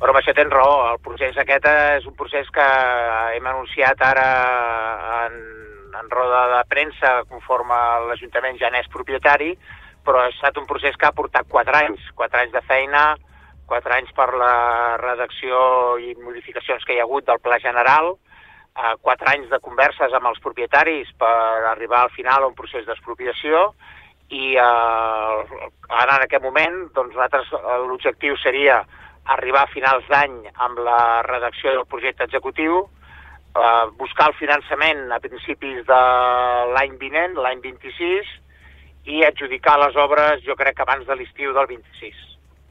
Però amb això tens raó, el procés aquest és un procés que hem anunciat ara en roda de premsa conforme l'Ajuntament ja n'és propietari, però ha estat un procés que ha portat 4 anys de feina, 4 anys per la redacció i modificacions que hi ha hagut del Pla General, 4 anys de converses amb els propietaris per arribar al final a un procés d'expropiació, i ara en aquest moment doncs, l'objectiu seria arribar a finals d'any amb la redacció del projecte executiu, buscar el finançament a principis de l'any vinent, l'any 26, i adjudicar les obres, jo crec que abans de l'estiu del 26.